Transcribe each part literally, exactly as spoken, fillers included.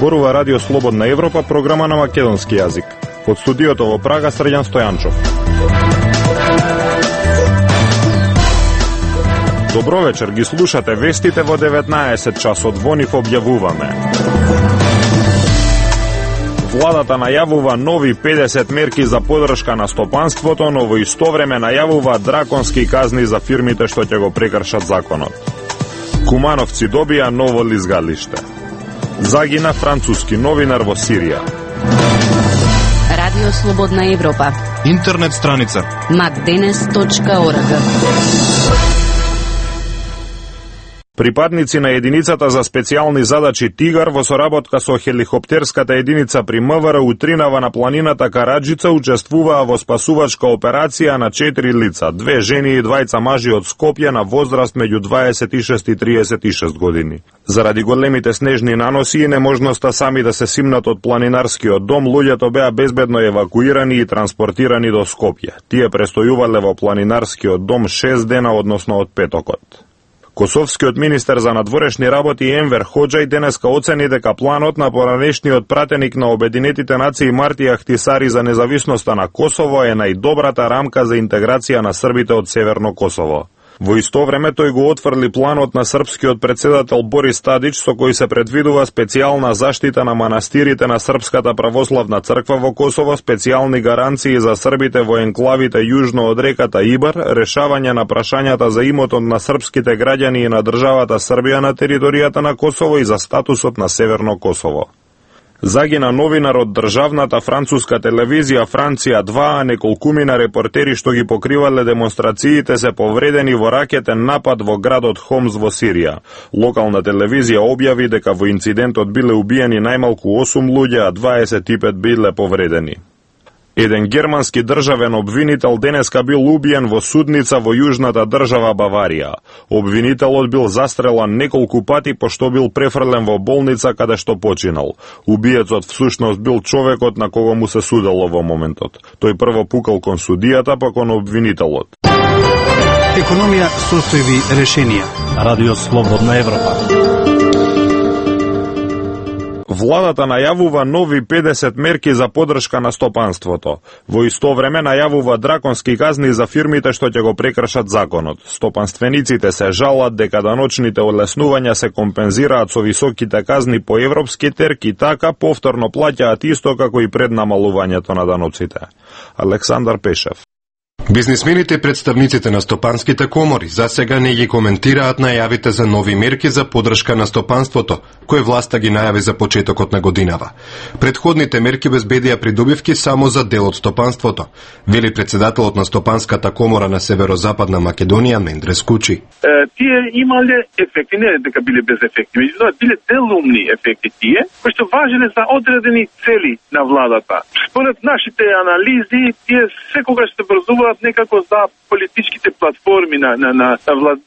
Зборува Радио Слободна Европа, програма на македонски јазик. Од студиото во Прага, Срđan Стојанчов. Добро вечер, ги слушате вестите во деветнаесет часот, во нив објавуваме. Владата најавува нови педесет мерки за поддршка на стопанството, но во исто време најавува драконски казни за фирмите што ќе го прекршат законот. Кумановци добија ново лизгалиште. Загина француски новинар во Сирија. Радио Слободна Европа. Интернет страница макденес точка орг. Припадници на единицата за специјални задачи Тигар во соработка со хеликоптерската единица при МВР утринава на планината Караджица учествуваа во спасувачка операција на четири лица, две жени и двајца мажи од Скопје на возраст меѓу дваесет и шест и триесет и шест години. Заради големите снежни наноси и неможноста сами да се симнат од планинарскиот дом, луѓето беа безбедно евакуирани и транспортирани до Скопје. Тие престојувале во планинарскиот дом шест дена, односно од петокот. Косовскиот министер за надворешни работи Енвер Хоџај денеска оцени дека планот на поранешниот пратеник на Обединетите нации Марти Ахтисари за независноста на Косово е најдобрата рамка за интеграција на србите од Северно Косово. Во исто време тој го отфрли планот на српскиот председател Борис Тадич, со кој се предвидува специјална заштита на манастирите на Српската православна црква во Косово, специјални гаранции за србите во енклавите јужно од реката Ибар, решавање на прашањата за имотот на српските граѓани и на државата Србија на територијата на Косово и за статусот на Северно Косово. Загина новинар од државната француска телевизија Франција два, а неколкумина репортери што ги покривале демонстрациите се повредени во ракетен напад во градот Хомс во Сирија. Локална телевизија објави дека во инцидентот биле убиени најмалку осум луѓе, а дваесет и пет биле повредени. Еден германски државен обвинител денеска бил убиен во судница во јужната држава Баварија. Обвинителот бил застрелан неколку пати пошто бил префрлен во болница каде што починал. Убиецот всушност бил човекот на кого му се судело во моментот. Тој прво пукал кон судијата, па кон обвинителот. Економија, состојби, решенија. Радио Слободна Европа. Владата најавува нови педесет мерки за поддршка на стопанството. Во исто време најавува драконски казни за фирмите што ќе го прекршат законот. Стопанствениците се жалат дека даночните олеснувања се компензираат со високите казни по европски терки, така повторно плаќаат исто како и пред намалувањето на даноците. Александар Пешев. Бизнисмените и представниците на стопанските комори за сега не ги коментираат најавите за нови мерки за поддршка на стопанството, кои власта ги најави за почетокот на годинава. Предходните мерки безбедија придобивки само за дел од стопанството, вели председателот на Стопанската комора на Северозападна Македонија Мендрес Кучи. Е, тие имале ефекти, не дека биле без ефекти, меѓутоа биле делумни ефекти тие, кои што важеле за одредени цели на владата. Според нашите анализи, тие секогаш се врзуваат некако за политичките платформи на, на, на влад,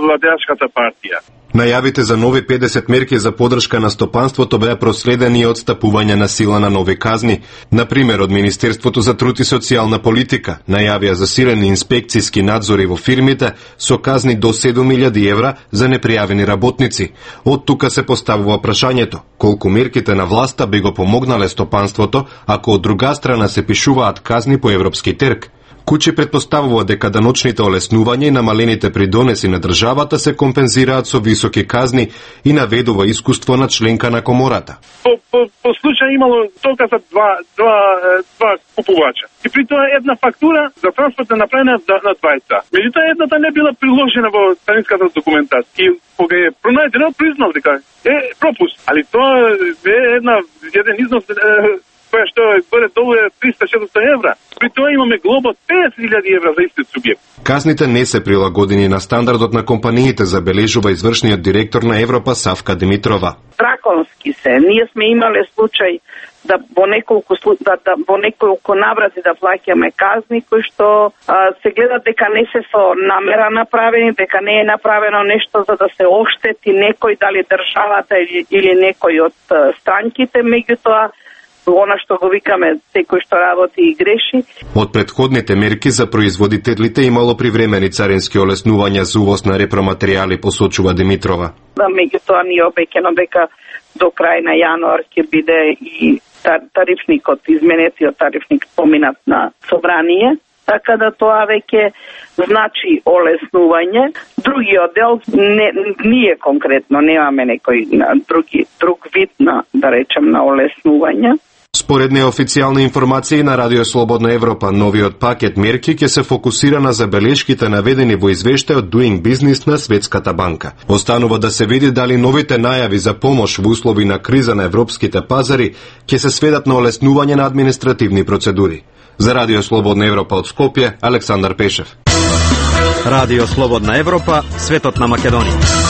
владеачката партија. Најавите за нови педесет мерки за поддршка на стопанството беа проследени од стапување на сила на нови казни. Например, од Министерството за труд и социјална политика најавија засилени инспекцијски надзори во фирмите со казни до седум илјади евра за непријавени работници. Од тука се поставува прашањето колку мерките на власта би го помогнале стопанството ако од друга страна се пишуваат казни по европски терк. Кучи предпоставува дека даночните олеснувања и намалените придонеси на државата се компензираат со високи казни и наведува искуство на членка на комората. По, по, по случај имало толка за два, два, два купувача. И при тоа една фактура за транспорт е направена на двајца. Меѓутоа едната не била приложена во царинската документација. И кога е пронајдено, признал дека е пропуст. Али тоа е една, еден износ која што горе долу е триста до четиристотини евра. При тоа имаме глоба од петдесет илјади евра за истиот субјект. Казните не се прилагодени на стандардот на компаниите, забележува извршниот директор на Европа Савка Димитрова. Драконски се. Ние сме имале случај да во неколку да, да во неколку наврати да плаќаме казни кои што а, се гледа дека не се со намера направени, дека не е направено нешто за да се оштети некој, дали државата или, или некој од странките, меѓутоа она што го викаме секој што работи и греши. Од предходните мерки за производителите имало привремени царински олеснувања за увоз на репроматеријали, посочува Димитрова. Да, меѓутоа ни е обеќано дека до крај на јануар ќе биде и тарифникот, изменетиот тарифник поминат на собрание, така да тоа веќе значи олеснување. Другиот дел, не, ние конкретно немаме некој други, друг вид на, да речем, на олеснување. Според неофицијални информации на Радио Слободна Европа, новиот пакет мерки ќе се фокусира на забелешките наведени во извештајот Doing Business на Светската банка. Останува да се види дали новите најави за помош во услови на криза на европските пазари ќе се сведат на олеснување на административни процедури. За Радио Слободна Европа од Скопје, Александар Пешев. Радио Слободна Европа, светот на Македонија.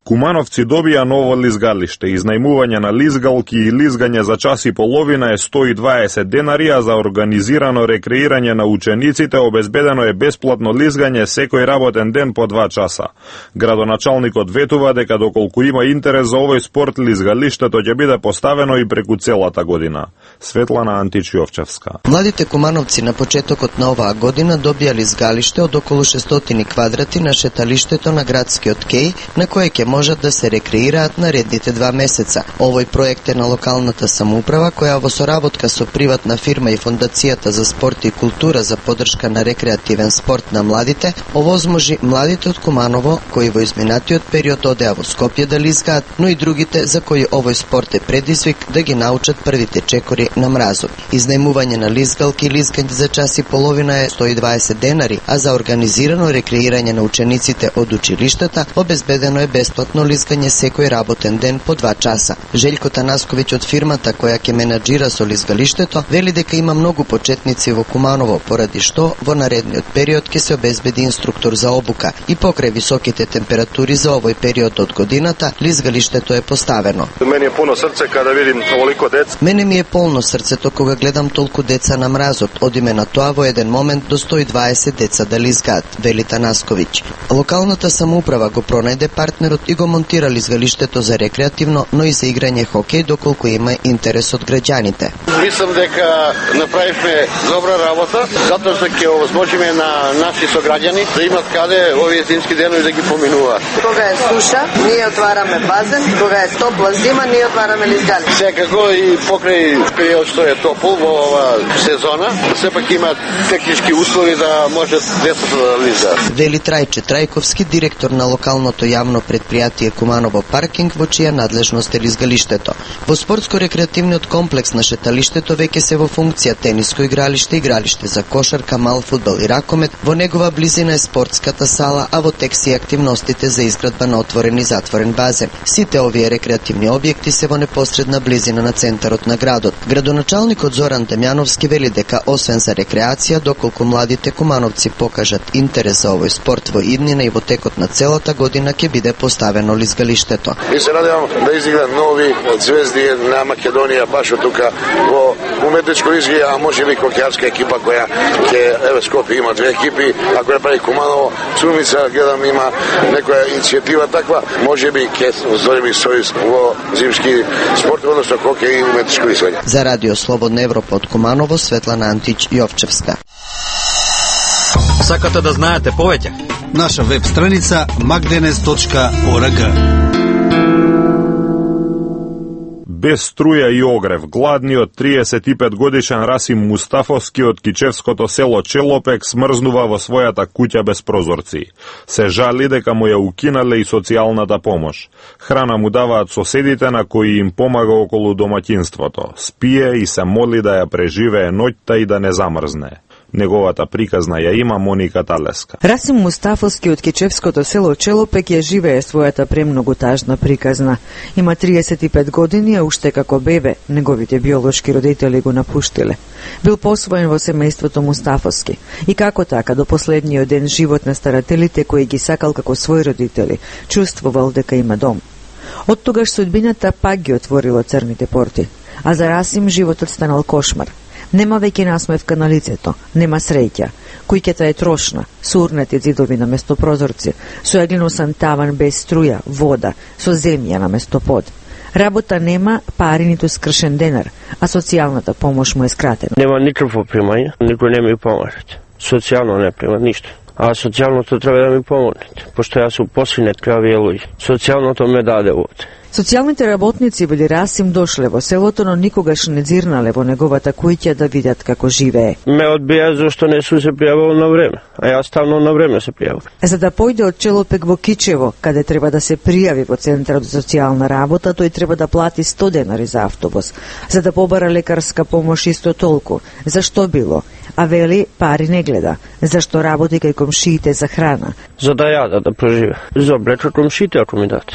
Кумановци добија ново лизгалиште. Изнајмување на лизгалки и лизгање за час и половина е сто и дваесет денари, а за организирано рекреирање на учениците обезбедено е бесплатно лизгање секој работен ден по два часа. Градоначалникот ветува дека доколку има интерес за овој спорт, лизгалиштето ќе биде поставено и преку целата година. Светлана Античиовчевска. Младите кумановци на почетокот на оваа година добија лизгалиште од околу шестстотини квадрати на шеталиштето на градскиот кеј, на кое ќе можат да се рекреираат наредните два месеца. Овој проект е на локалната самоуправа, која во соработка со приватна фирма и Фондацијата за спорт и култура за поддршка на рекреативен спорт на младите, овозможи младите од Куманово, кои во изминатиот период одеа во Скопје да лизгаат, но и другите за кои овој спорт е предизвик да ги научат првите чекори на мразот. Изнајмување на лизгалки и лизгање за час и половина е сто и дваесет денари, а за организирано рекреирање на учениците од училиштата обезбедено е бесплатно лизгање секој работен ден по два часа. Желјко Танасковиќ од фирмата која ќе менаџира со лизгалиштето вели дека има многу почетници во Куманово, поради што во наредниот период ќе се обезбеди инструктор за обука и покрај високите температури за овој период од годината, лизгалиштето е поставено. Мене е полно срце кога видим толку деца. Мене ми е полно срцето кога гледам толку деца на мразот. Одиме на тоа во еден момент до сто и дваесет деца да лизгаат, вели Танасковиќ. Локалната самоуправа го пронајде партнерот и го монтира лизгалиштето за рекреативно, но и за играње хокеј доколку има интерес од граѓаните. Мислам дека направивме добра работа, затоа што ќе овозможиме на наши сограѓани да имат каде овие зимски денови да ги поминуваат. Кога е суша, ние отвараме базен, кога е топла зима, ние отвараме лизгали. Секако и покрај период што е топол во оваа сезона, сепак има технички услови да можат децата да лизгаат. Вели Трајче Трајковски, директор на локалното јавно предпријатие Куманово паркинг, во чија надлежност е лизгалиштето. Во спортско-рекреативниот комплекс на шеталиштето веќе се во функција тениско игралиште, игралиште за кошарка, мал фудбал и ракомет, во негова близина е спортската сала, а во тек се активностите за изградба на отворен и затворен базен. Сите овие рекреативни објекти се во непосредна близина на центарот на градот. Градоначалникот Зоран Дамјановски вели дека освен за рекреација, доколку младите кумановци покажат интерес за овој спорт во иднина и во текот на целата година ќе биде поставено лизгалиштето. И се надевам да изиграат нови звезди на Македонија баш од тука во уметничко лизгање, а може би хокејарска екипа која ќе еве Скопје има две екипи, ако ја прави Куманово, Цумица гледам има некоја иницијатива таква, може би ќе озорими сојуз во зимски спорт, односно хокеј и уметничко лизгање. За Радио Слободна Европа од Куманово, Светлана Антич Јовчевска. Сакате да знаете повеќе? Наша веб страница magdenes точка org. Без струја и огрев, гладниот триесет и пет годишен Расим Мустафовски од кичевското село Челопек смрзнува во својата куќа без прозорци. Се жали дека му ја укинале и социјалната помош. Храна му даваат соседите на кои им помага околу домаќинството. Спие и се моли да ја преживее ноќта и да не замрзне. Неговата приказна ја има Моника Талеска. Расим Мустафовски од кичевското село Челопек ја живее својата премногу тажна приказна. Има триесет и пет години, а уште како бебе неговите биолошки родители го напуштиле. Бил посвоен во семејството Мустафовски и како така до последниот ден живот на старателите кои ги сакал како своји родители, чувствувал дека има дом. Од тогаш судбината пак ги отворила црните порти, а за Расим животот станал кошмар. Нема веќе насмевка на лицето, нема среќа. Куќата е трошна, со урнати ѕидови на место прозорци, со јаглиносан таван без струја, вода, со земја на место под. Работа нема, пари ниту скршен денар, а социјалната помош му е скратена. Нема никакво примање, никој не ми помагате. Социјално не прима ништо. А социјалното треба да ми помогнете, пошто јас сум посвинет крави луѓе. Социјалното ме даде овде. Социјалните работници били Расим дошле во селото, но никогаш не дзирнале во неговата куќа да видат како живее. Ме одбија зашто не су се пријавил на време, а јас ставно на време се пријавил. За да појде од Челопек во Кичево, каде треба да се пријави во Центарот за социјална работа, тој треба да плати сто денари за автобус. За да побара лекарска помош исто толку. Зашто било? А вели, пари не гледа. Зашто работи кај комшиите за храна? За да јада да преживе. За облечат комшиите ако ми дат.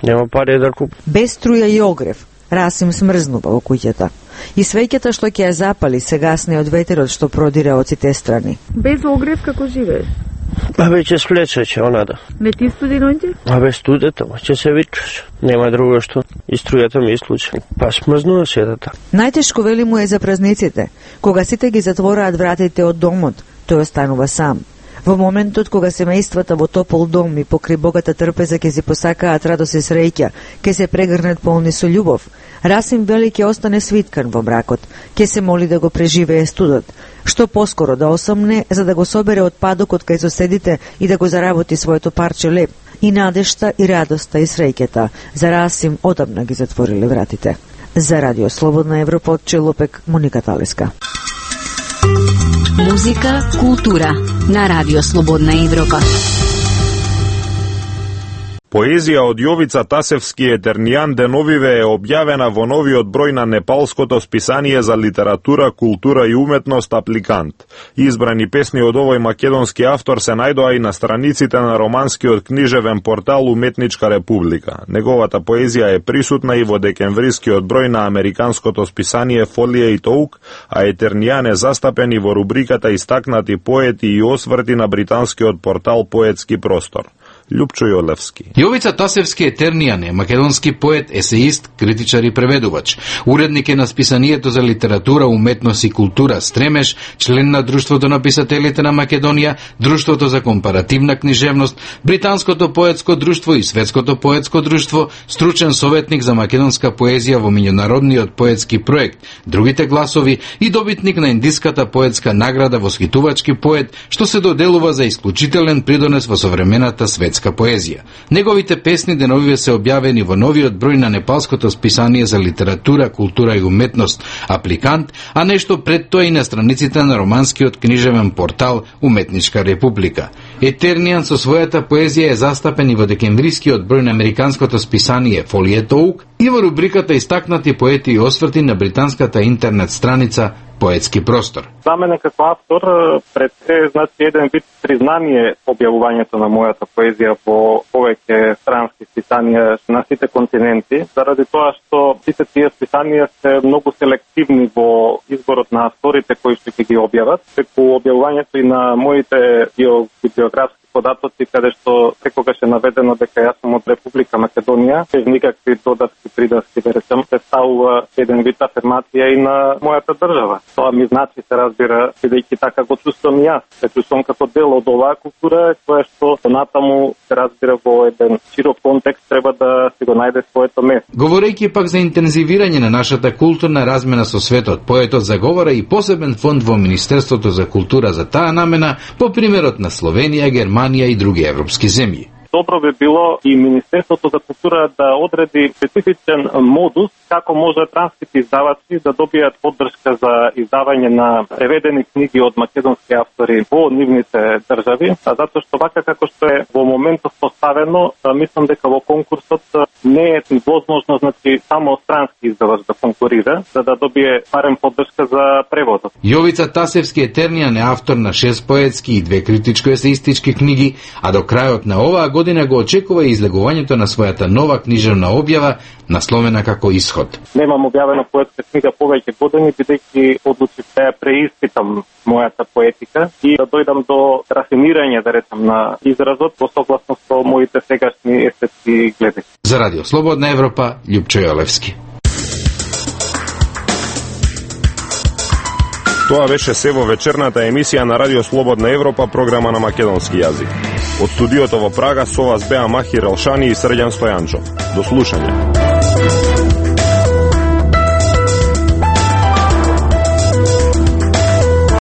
Нема пари да купам. Без струја и огрев, Расим смрзнува во куќата. И свеќата што ќе ја запали се гасне од ветерот што продира од сите страни. Без огрев како живееш? А веќе сплече ќе онада. Не ти студи ноќе? А без студето, ќе се вичаш. Нема друго што. И струјата ми исклучи. Па смрзнува седата. Најтешко вели му е за празниците. Кога сите ги затвораат вратите од домот, тој останува сам. Во моментот кога семејствата во топол дом и покри богата трпеза ќе си посакаат радост и среќа, ќе се прегрнат полни со љубов, Расим вели ќе остане свиткан во бракот, ќе се моли да го преживее студот, што поскоро да осомне за да го собере отпадокот кај соседите и да го заработи своето парче леп. И надежта, и радоста, и среќата за Расим одамна ги затвориле вратите. За Радио Слободна Европа од Челопек, Моника Талеска. Музика, култура на Радио Слободна Европа. Поезија од Јовица Тасевски Етернијан деновиве е објавена во новиот број на непалското списание за литература, култура и уметност Апликант. Избрани песни од овој македонски автор се најдоа и на страниците на романскиот книжевен портал Уметничка република. Неговата поезија е присутна и во декемврискиот број на американското списание Фолија и Тоук, а Етернијан е застапен и во рубриката Истакнати поети и осврти на британскиот портал Поетски простор. Љупчо Јолевски. Јовица Тасевски Етернијан е македонски поет, есеист, критичар и преведувач. Уредник е на списанието за литература, уметност и култура Стремеш, член на Друштвото на писателите на Македонија, Друштвото за компаративна книжевност, Британското поетско друштво и Светското поетско друштво, стручен советник за македонска поезија во меѓународниот поетски проект Другите гласови и добитник на Индиската поетска награда восхитувачки поет, што се доделува за исклучителен придонес во современата светска поезија. Неговите песни деновиве се објавени во новиот број на непалското списание за литература, култура и уметност Апликант, а нешто пред тоа и на страниците на романскиот книжевен портал Уметничка република. Етернијан со својата поезија е застапен и во декемврискиот број на американското списание Фолија Тоук и во рубриката Истакнати поети и осврти на британската интернет страница Поетски простор. За мене како автор пред се значи еден вид признание објавувањето на мојата поезија во повеќе странски списанија на сите континенти, заради тоа што сите тие списанија се многу селективни во изборот на авторите кои што ќе ги објават, преку објавувањето и на моите биографски податоци, каде што секогаш е наведено дека јас сум од Република Македонија, без никакви додатки придаски, да речем, представува еден вид афирмација и на мојата држава. Тоа ми значи, се разбира, бидејќи така го чувствувам и јас. Се чувствувам како дел од оваа култура, која што понатаму, се разбира, во еден широк контекст треба да си го најде своето место. Говорејќи пак за интензивирање на нашата културна размена со светот, поетот заговара и посебен фонд во Министерството за култура за таа намена, по примерот на Словенија, Германија и други европски земји. Добро би било и Министерството за култура да одреди специфичен модус како може транските издавачи да добијат поддршка за издавање на преведени книги од македонски автори во нивните држави, а затоа што вака како што е во моментот поставено, мислам дека во конкурсот не е возможно, значи, само странски издавач да конкурира, за да добие барем поддршка за преводот. Јовица Тасевски Етернијан е автор на шест поетски и две критичко-есеистички книги, а до крајот на оваа година го очекува и излегувањето на својата нова книжевна објава, насловена како Исход. Немам објавена поетска книга повеќе години, бидејќи одлучив да ја преиспитам мојата поетика и да дојдам до рафинирање, да речем, на изразот во согласно со моите сегашни естетски гледи. За Радио Слободна Европа, Љупчо Јолевски. Тоа беше се во вечерната емисија на Радио Слободна Европа, програма на македонски јазик. Од студиото во Прага со вас беа Махир Елшани и Срđan Стојанчов. До слушање.